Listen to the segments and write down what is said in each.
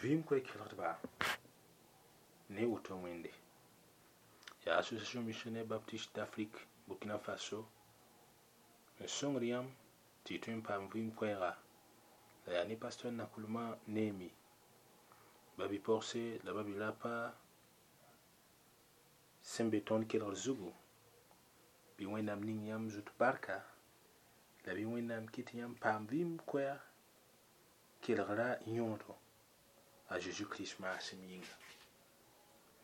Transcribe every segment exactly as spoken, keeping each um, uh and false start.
Vɩɩm koe kelgdba ne woto wẽnde yaa Association Missionnaire Baptiste d'Afrique Burkina Faso n sõngd yãmb tɩ y tõe n paam vɩɩm koɛɛga la yaa ne pasteur Nakulma Neemi ba-bi-pɔgse la ba-bi-rapa sẽn be tõnd kelgr zugu bɩ Wẽnnaam ning yãmb zut barka la bɩ Wẽnnaam kɩt yãmb paam vɩɩm koɛɛg kelgra yõodo a Zeezi Kirist maasem yĩnga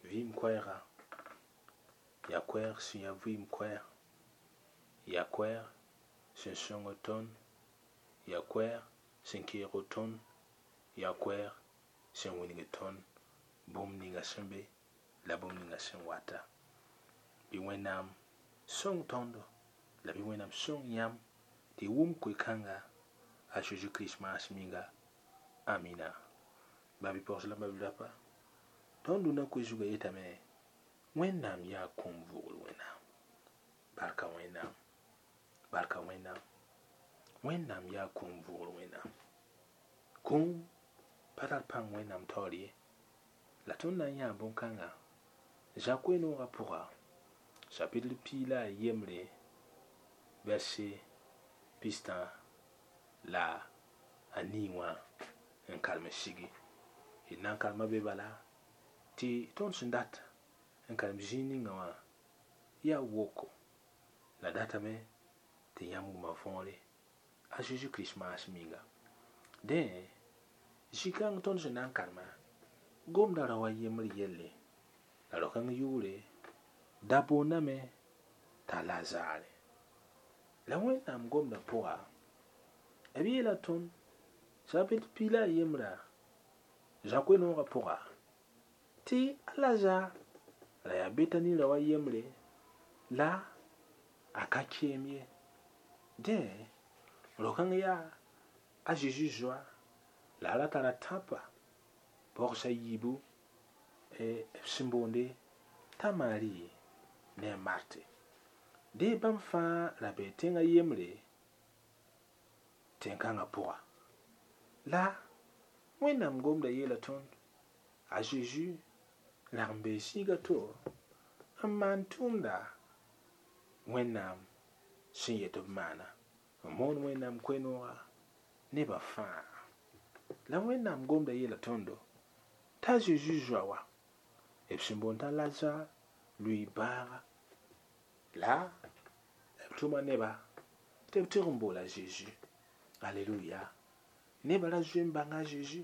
vɩɩm koɛɛga yaa koɛɛg sẽn yaa vɩɩm koɛɛg yaa koɛɛg sẽn sõngd tõnd yaa koɛɛg sẽn keeg tõnd yaa koɛɛg sẽn wilgd tõnd bũmb ninga sẽn be la bũmb ninga sẽn wata bɩ Wẽnnaam sõng tõndo la bɩ Wẽnnaam sõng yãmb tɩ y wʋm koe-kãnga a Zeezi Kirist maasem yĩnga amina ba-bi-pɔgs la ba-bi-rapa tõnd dũnã koe zugã yetame Wẽnnaam yaa kũum vʋʋgr Wẽnnaam barka Wẽnnaam barka Wẽnnaam Wẽnnaam yaa kũum vʋʋgr Wẽnnaam kũum pa tar pãng Wẽnnaam taoor ye la tõnd na n yãa bõn-kãngã Zã koe-noogã pʋga chapitre piig la a yembre verset pistã la a nii wã n karem sigi d na n karema be bala tɩ tõnd sẽn dat n karem zĩig ninga wã yaa woko la datame tɩ yãmb wʋma võore a Zeezi Kirist maasem yĩnga dẽ zĩ-kãng tõnd sẽn na n karema gomda rao a yembr yelle la rao-kãng yʋʋre da boondame t'a Lazare la Wẽnnaam gomda pʋga b yeela tõnd chapitre piig la a yembra Zã koe-noogã pʋga tɩ a Lazar ra yaa Betani rao a yembre la a ka keem ye dẽ rao-kãng yaa a Zeezi zoa la a ra tara tãpa pɔgs a yiibu b sẽn boonde t'a Mari ne a Marte dẽ bãmb fãa ra bee tẽngã yembre tẽn-kãngã pʋga la Wẽnnaam gomda yeela tõnd a Zeezi rag n bee zĩiga to n maan tʋʋmda Wẽnnaam sẽn yet b maana n moon Wẽnnaam koe-noogã nebã fãa la Wẽnnaam gomda yeela tõndo t'a Zeezi zoa wa b sẽn boond t'a Lazar lʋɩ bãaga la b tʋma neba tɩ b tɩg n boola Zeezi aleluya nebã ra zoe n bãnga a Zeezi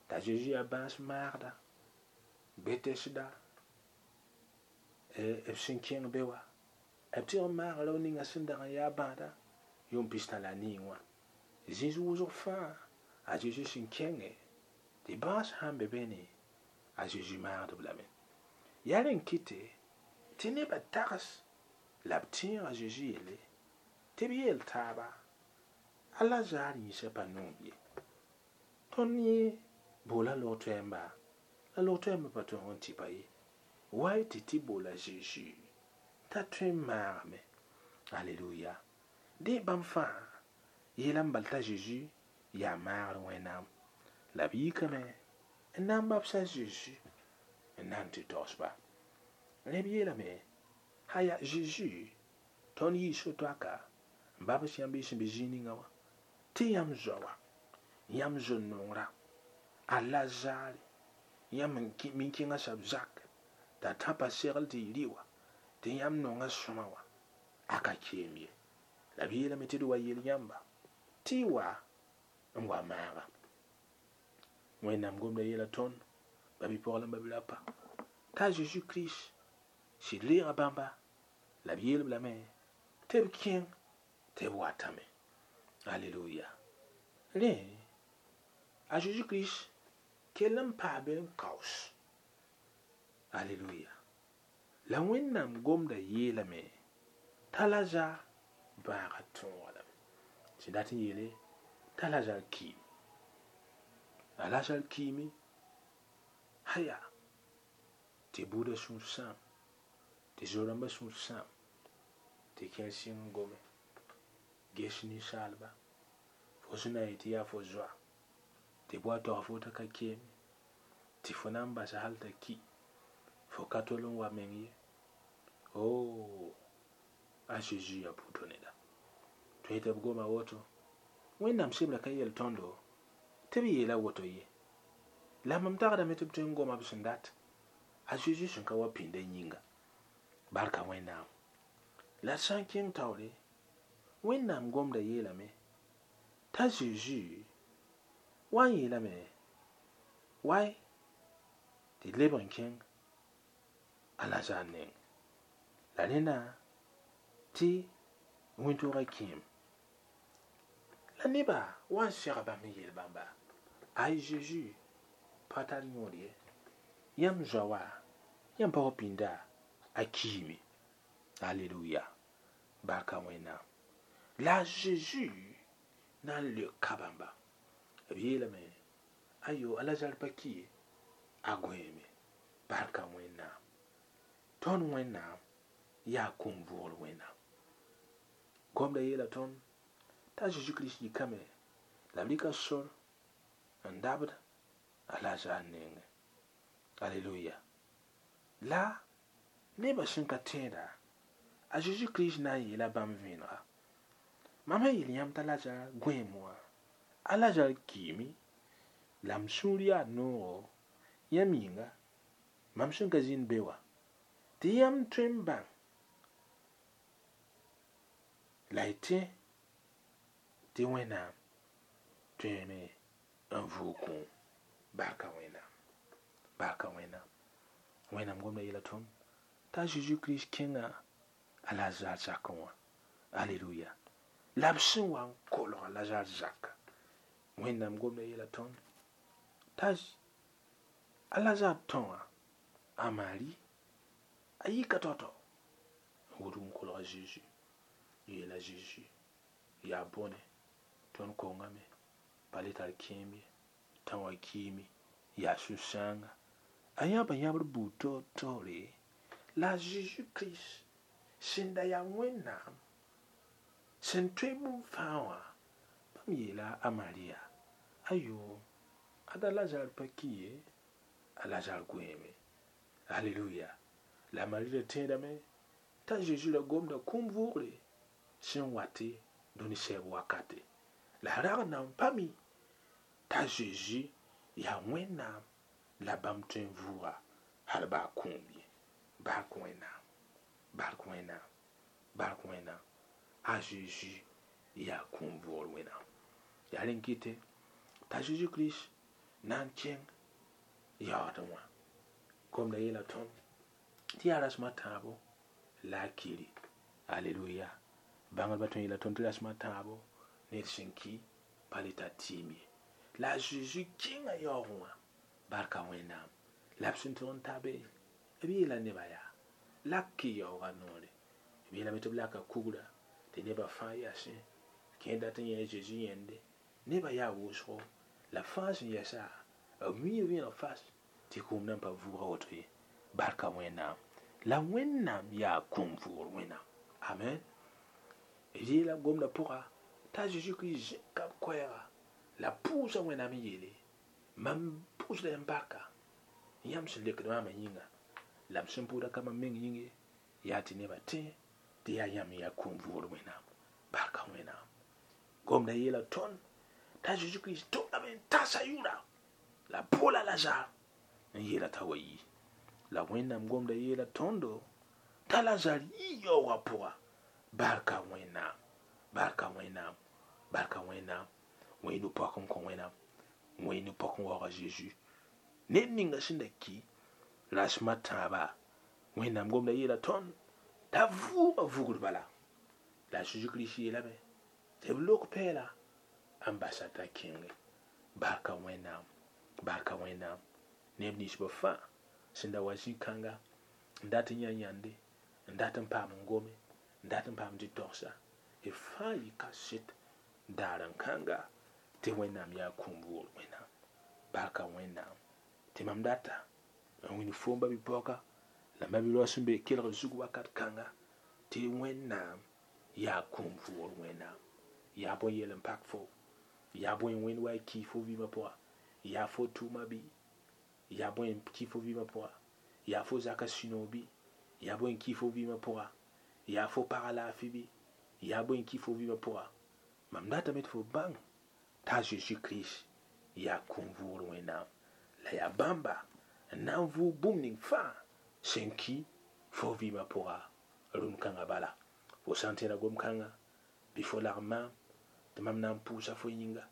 t'a Zeezi yaa bãas maagda Betɛsda b sẽn kẽng be wa b tɩg n maaga rao ninga sẽn dag n yaa bãada yʋʋm pistã la a nii wã zĩis wʋsg fãa a Zeezi sẽn kẽnge tɩ bãas sãn be beene a Zeezi maagd-b lame yaa rẽn kɩte tɩ nebã tags la b tẽeg a Zeezi yelle tɩ b yeel taaba a Lazar yĩsã pa noom ye tõnd yẽ boola log-toɛɛmba la log-toɛɛmbã pa tõeg n tɩpa ye wa y tɩ tɩ boola Zeezi t'a tõe n maagame aleluya dẽ bãmb fãa yeelame bal t'a Zeezi yaa maagr Wẽnnaam la b yikame n na n babsa Zeezi n na n tɩ taoos-ba rẽ b yeelame haya Zeezi tõnd yii so-toaka n babs yãmb y sẽn be zĩig ninga wã tɩ yãmb zoa wa yãmb zo-nongrã a Lazare yãmb n kẽngã soab zak t'a tãpa segl tɩ y rɩ wa tɩ yãmb nonga sõma wã a ka keem ye la b yeelame tɩ d wa yel yãmba tɩ y wa n wa maaga Wẽnnaam gomda yeela tõnd ba-bi-pɔg la ba-bi-rapa t'a Zeezi Kirist sɩd reega bãmba la b yeel-b lame tɩ b kẽng tɩ b watame aleluya rẽ a Zeezi Kirist kell n paa be n kaoos aleluya la Wẽnnaam gomda yeelame t'a Lazar bãaga tõoga lame sẽn dat n yeele t'a Lazar kiime a Lazar kiime haya tɩ buudã sũur sãam tɩ zo-rãmbã sũur sãam tɩ kẽer sɩng n gome ges ninsaalba fo sẽn na n yetɩ yaa fo zoa tɩ b wa tog fo t'a ka keeme Tɩ fo na n basa hal t'a ki fo ka tol n wa meng ye o a Zeezi yaa pʋʋtɔ neda tõe tɩ b goma woto Wẽnnaam sebra ka yel tõndo tɩ b yeela woto ye la mam tagdame tɩ b tõe n goma b sẽn dat a Zeezi sẽn ka wa pĩnda yĩnga barka Wẽnnaam la d sã n kẽng taoore Wẽnnaam gomda yeelame t'a Zeezi wa n yeelame wai tɩ d leb n kẽng a Lazar neng la rẽna tɩ wẽn-toogã kẽem la neba wa n sega bãmb n yeel bãmba ay Zeezi pa tar yõod ye yãmb zoa wa yãmb pa wa pĩnda a kiime aleluya barka Wẽnnaam la a Zeezi na n leoka bãmba b yeelame ayo a Lazar pa ki ye a gõeeme barka Wẽnnaam tõnd Wẽnnaam yaa kũum vʋʋgr Wẽnnaam gomda yeela tõnd t'a Zeezi Kirist yikame la b rɩka sor n dabd a Lazar nengẽ aleluya la nebã sẽn ka tẽeda a Zeezi Kirist na n yeela bãmb vẽenega mam sẽn yeel yãmb t'a Lazar gõeem wã a Lazar kiime la m sũur yaa noogo yãmb yĩnga mam sẽn ka zĩnd be wã tɩ yãmb tõe n bãng la y tẽ tɩ Wẽnnaam tõeme n vʋʋg kũum barka Wẽnnaam barka Wẽnnaam Wẽnnaam gomda yeela tõnd t'a Zeezi Kirist kẽnga a Lazar zakẽ wã aleluya la b sẽn wa n kolg a Lazar zaka Wẽnnaam gomda yeela tõnd t'a a Lazar tõa a Mari a yika tao-tao n wudg n kolg a Zeezi n yeela Zeezi yaa bõne tõnd kongame pa le tar kẽem ye tã wã kiime yaa sũ-sãanga a yãba yãbr buud taoor-taoore la a Zeezi Kirist sẽn da yaa Wẽnnaam sẽn tõe bũmb fãa wã bãmb yeela a Mariya ayo ada Lazar pa ki ye a Lazar gõeeme aleluya la Mari ra tẽedame t'a Zeezi ra gomda kũum vʋʋgre sẽn wate dũni sɛɛb wakate la a rag n na n pa mi t'a Zeezi yaa Wẽnnaam la bãmb tõe n vʋʋga hal baa kũum ye bark Wẽnnaam bark Wẽnnaam bark Wẽnnaam a Zeezi yaa kũum vʋʋgr Wẽnnaam yaa rẽn kɩte t'a Zeezi Kirist na n kẽng yaoodẽ wã gomda yeela tõnd tɩ yaa rasem a tãabo la a kiri aleluya bãngdbã tõe n yeela tõnd tɩ rasem a tãabo ned sẽn ki pa le tar tɩɩm ye la a Zeezi kẽnga yaoogẽ wã barka Wẽnnaam la b sẽn tʋg n ta be b yeela nebã yaa lak y yaoogã noore b yeelame tɩ b laka kugra tɩ nebã fãa yasẽ kẽ dat n yẽ a Zeezi yẽnde nebã yaa wʋsgo la fãa sẽn yɛsa b mii vẽeneg fas tɩ kũum nan pa vʋʋga woto ye barka Wẽnnaam la Wẽnnaam yaa kũum vʋʋgr Wẽnnaam amen b yeela gomda pʋga t'a Zeezi Kirist zẽka b koɛɛga la pʋʋsa Wẽnnaam n yeele mam pʋʋsda yãmb barka yãmb sẽn lekd maamã yĩnga la m sẽn pʋʋda ka mam meng yĩng ye yaa tɩ nebã tẽ tɩ yaa yãmb n yaa kũum vʋʋgr Wẽnnaam barka Wẽnnaam gomda yeela tõnd t'a Zeezi Kirist tʋmdame n tasa yʋra la boola Lazar n yeela t'a wa yi la Wẽnnaam gomda yeela tõndo t'a Lazar yi yaoogã pʋga barka Wẽnnaam barka Wẽnnaam barka Wẽnnaam wẽ nu-pɔk n kõ Wẽnnaam wẽ nu-pɔk n waoog a Zeezi ned ninga sẽn da ki rasem a tãaba Wẽnnaam gomda yeela tõnd t'a vʋʋga vugr bala la a Zeezi Kirist yeelame tɩ b lok pɛɛla n basa t'a kẽnge barka Wẽnnaam barka Wẽnnaam neb ninsbã fãa sẽn da wa zĩ-kãnga n dat n yã yãnde n dat n paam n gome n dat n paam tɩ togsa b fãa yɩ kaset daar n kãnga tɩ Wẽnnaam yaa kũum vʋʋgr Wẽnnaam barka Wẽnnaam tɩ mam data n wĩnd foom ba-bi-paooga la ma-bi-rao sẽn be kelgr zug wakat kãnga tɩ Wẽnnaam yaa kũum vʋʋgr Wẽnnaam yaa bõe yel n pak fo yaa bõe wẽnd wa y ki fo vɩɩmã pʋga yaa fo tʋʋma bɩ Yaa bõe n ki fo vɩɩmã pʋga? Yaa fo zaka sũ-noog bɩ? Yaa bõe n ki fo vɩɩmã pʋga? Yaa fo paga laafɩ bɩ? Yaa bõe n ki fo vɩɩmã pʋga? Mam datame tɩ fo bãng t'a Zeezi Kirist yaa kũum vʋʋgr Wẽnnaam la yaa bãmba n na n vʋʋg bũmb ning fãa sẽn ki fo vɩɩmã pʋga rũn kãngã bala. Fo sã n tẽeda gom-kãnga bɩ fo lagm maam tɩ mam na n pʋʋsa fo yĩnga.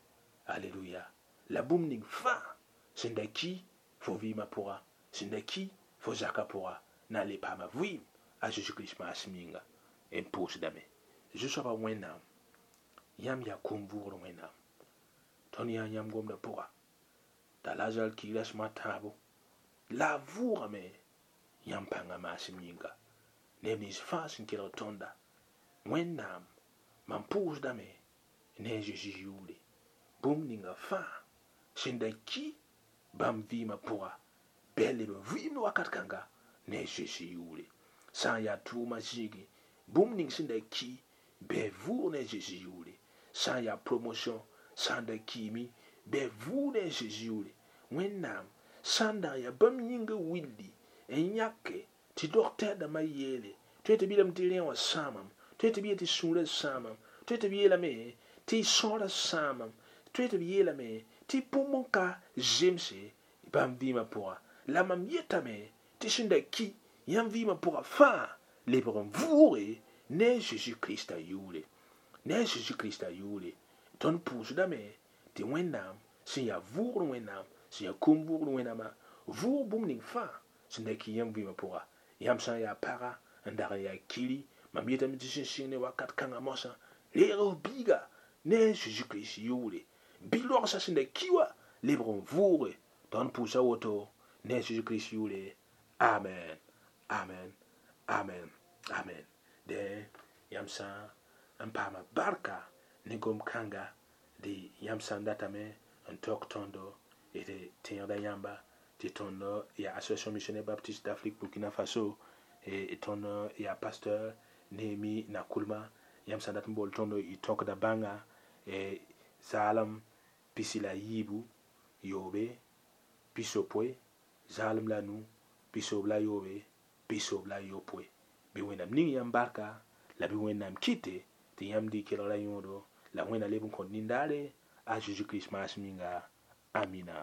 Aleluya. La bũmb ning fãa sẽn da ki fo vɩɩmã pʋga, sẽn da ki fo zakã pʋga, na n le paama vɩɩm a Zeezi Kirist maasem yĩnga. N pʋʋsdame. Zu-soabã Wẽnnaam, yãmb yaa kũum vʋʋgr Wẽnnaam. Tõnd yaa yãmb gomdã pʋga t'a Lazar ki rasem a tãabo la a vʋʋgame yãmb pãngã maasem yĩnga. Neb nins fãa sẽn kelg tõnda, Wẽnnaam, mam pʋʋsdame ne a Zeezi yʋʋre, bũmb ninga fãa sẽn da ki bãmb vɩɩmã pʋga bɩ a leb n vɩɩmd wakat kãnga ne a Zeezi yʋʋre. Sã n yaa tʋʋmã zĩigẽ, bũmb ning sẽn da ki bɩ a vʋʋg ne a Zeezi yʋʋre. Sã n yaa promotion sã n da kiime bɩ a vʋʋg ne a Zeezi yʋʋre. Wẽnnaam sã n dag n yaa bãmb yĩngã willi n yãke tɩ dɔgtɛr dãmbã yeele tõe tɩ b yeelame tɩ rẽ wã sãamam, tõe tɩ b yeel tɩ sũurã sãamam, tõe tɩ b yeelame tɩ sõorã sãamam, tõe tɩ b yeelame tɩ bũmb n ka zemse bãmb vɩɩmã pʋga. La mam yetame tɩ sẽn da ki yãmb vɩɩmã pʋga fãa lebg n vʋʋge ne a Zeezi Kirista yʋʋre. Ne a Zeezi Kirista yʋʋre. Tõnd pʋʋsdame tɩ Wẽnnaam sẽn yaa vʋʋgr Wẽnnaam, sẽn yaa kũum vʋʋgr Wẽnnaamã, vʋʋg bũmb ning fãa sẽn da ki yãmb vɩɩmã pʋga. Yãmb sã n yaa paga n dag n yaa kiri, mam yetame tɩ sẽn sɩng ne wakat kãngã moasã, reeg f biiga ne a Zeezi Kirist yʋʋre. Bɩ roagsa sẽn da ki wã lebg n vʋʋge. Tõnd pʋʋsa woto ne a Zeezi Kirist yʋʋre. Amen. Amen. Amen. Amen. Dẽ yãmb sã n paama barka ne gom-kãnga dɩ yãmb sã n datame n taoog tõndo d tẽegda yãmba tɩ tõnd yaa Association Missionnaire Baptiste d'Afrique Burkina Faso, tõnd yaa pasteur Nehemi Nakoulma. Yãmb sã n dat n bool tõndo y tõkda bãnga zaalem pisi la yiibu yoobe pisopoe zaalem la nu pisoob la yoobe pisoob la yopoe. Bɩ Wẽnnaam ning yãmb barka la bɩ Wẽnnaam kɩte tɩ yãmb dɩ kelgra yõodo la Wẽnna leb n kõt nindaare a Zeezi Kirist maasem yĩnga. Amina.